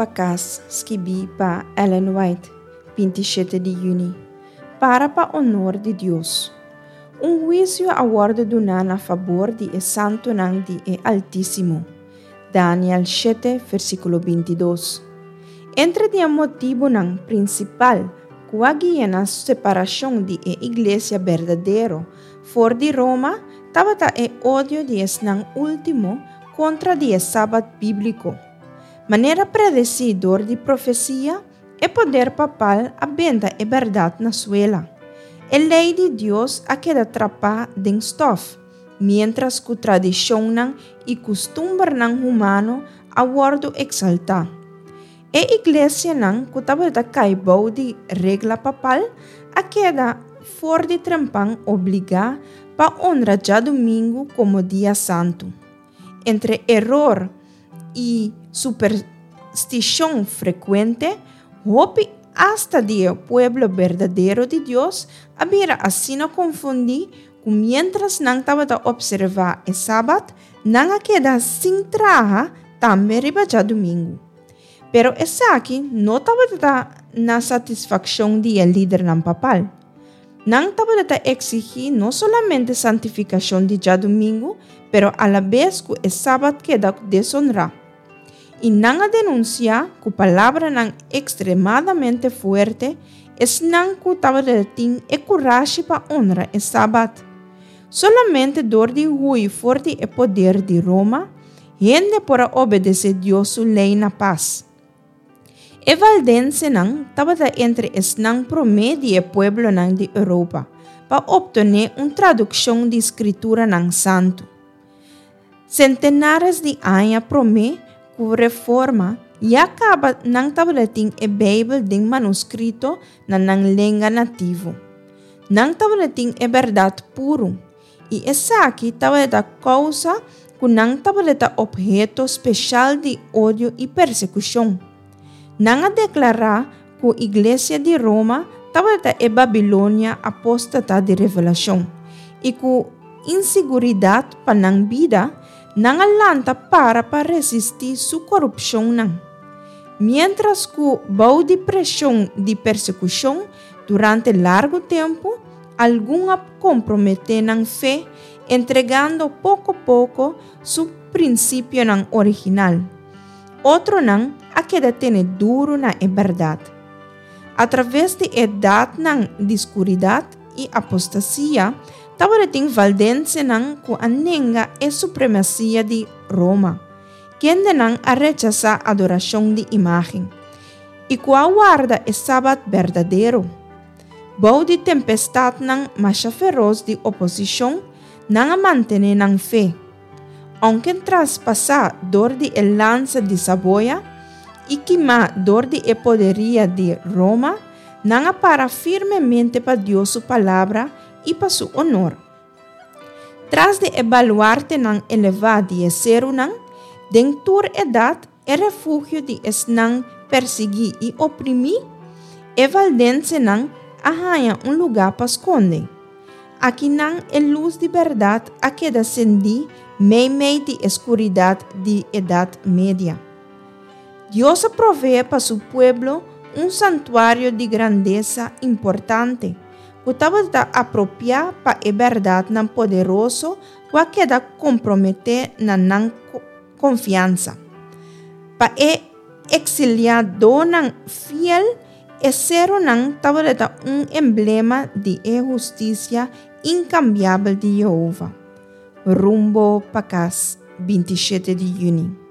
pa Kas, skibí pa Ellen White, 27 di yüni. Para pa onor di Dios. Un huisio a wòrdu duná na fabor di e santunan di e Altísimo. Daniel shete, versíkulo 22. Entre di e motibunan prinsipal ku a guia na separashon di e iglesia berdadero for di Roma tabata e odio di esnan último kontra di e Sabat bíbliko. Manera predesí dor di profesia, e poder papal a benta e bèrdat na suela. E lei di Dios a keda trapá den stòf, miéntras ku tradishonnan i kustumbernan humano a wòrdu eksaltá. E iglesianan ku tabata kai bou di regla papal a keda for di trempan obligá pa onra djadumingu komo dia santu. Entre eror i superstishon frekuente, hopi asta di e pueblo berdadero di Dios a bira asina konfundí ku miéntras nan tabata opservá e Sabat, nan a keda sin traha tambe riba djadumingu. Pero esaki no tabata na satisfakshon di e lidernan papal. Nan tabata ta eksigí no solamente santifikashon di djadumingu, pero alabes ku e Sabat keda desonrá. I nan a denunsiá ku palabranan ekstremadamente fuerte esnan ku tabata tin e kurashi pa onra e Sabat. Solamente dor di hui for di e poder di Roma, hende por a obedesé Dios su lei na pas. E valdensenan tabata entre esnan promé di e pueblonan di Europa pa optené un tradukshon di Skrituranan Santu. Sentenares di aña promé ku Reforma ya kaba nan tabata tin e Beibel den manuskrito na nan lenga nativo. Nan tabata tin e bèrdat puru, i esaki tabata kousa ku nan tabata opheto speshal di odio i persekushon. Nan a deklará ku Iglesia di Roma tabata e Babilonia apóstata di Revelashon, i ku insiguridat pa nan bida, nan a lanta para pa resistí su korupshonnan. Miéntras ku bou di preshon di persekushon durante largu tempu, Algun a komprometé nan fe entregando poko poko su prinsipionan original. Otronan a keda tene duru na e bèrdat. Atraves di edatnan di skuridat i apostasia, tabatin valdensenan ku a nenga e supremasia di Roma, kendenan a rechasá adorashon di imágen, i ku a warda e Sabat berdadero. Bou di tempestatnan masha feros di oposishon, nan a mantené nan fe. Ounke traspasá dor di e lansa di Saboya i kimá dor di e poderia di Roma, nan a para firmemente pa Dios su Palabra i pa su onor. Tras di e baluartenan elevá di e serunan, den tur edat e refugio di esnan persiguí i oprimí, e valdensenan a haña un lugá pa skonde. Akinan e lus di bèrdat a keda sendí meimei di e skuridat di Edat Media. Dios a proveé pa su pueblo un santuario di grandesa importante ku tabata apropiá pa e bèrdatnan poderoso ku a keda komprometé na nan konfiansa. Pa e eksiliadonan fiel, e serunan tabata un emblema di e hustisia inkambiabel di Yehova. Rumbo pa kas, 27 di yüni.